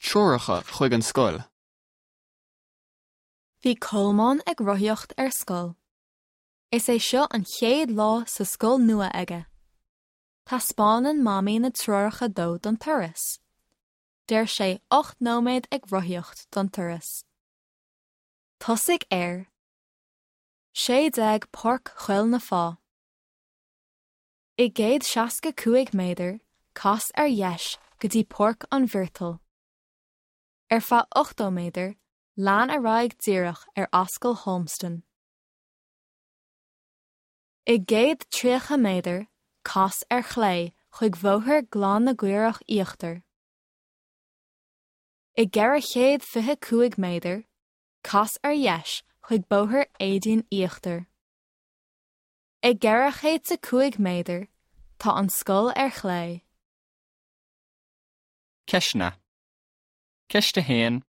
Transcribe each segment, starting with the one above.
Treoracha chuig an scoil. Bhí Colmán ag rothaíocht ar scoil. Is é seo an chéad lá sa scoil nua aige. Taispeánann Mamaí na treoracha dó don turas. Deir sé 8 nóiméad ag rothaíocht don turas. Tosaigh ar 16 Páirc Choill na Feá. I 165 méadar, cas ar dheis go dtí Páirc an Mhirtil. Ar feadh 80 méadar, lean ar aghaidh díreach ar Ascaill Holmston. I 130 méadar, cas ar chlé chuig Bhóthar Ghleann na gCaorach Íochtar. I 425 méadar, cas ar dheis chuig Bóthar Éadaoin Íochtar. I 405 méadar, tá an scoil ar chlé. Ceisteanna. Ceist 1.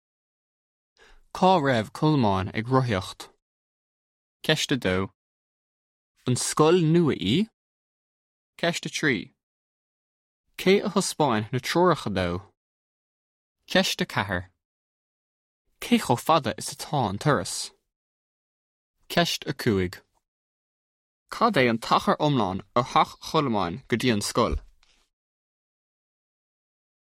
Cá raibh Colmán ag rothaíocht? Ceist 2. An scoil nua í? Ceist 3. Cé a thaispeáin na treoracha dó? Ceist 4. Cé chomh fada is atá an turas? Ceist 5. Cad é an t-achar iomlán ó theach Cholmáin go dtí an scoil?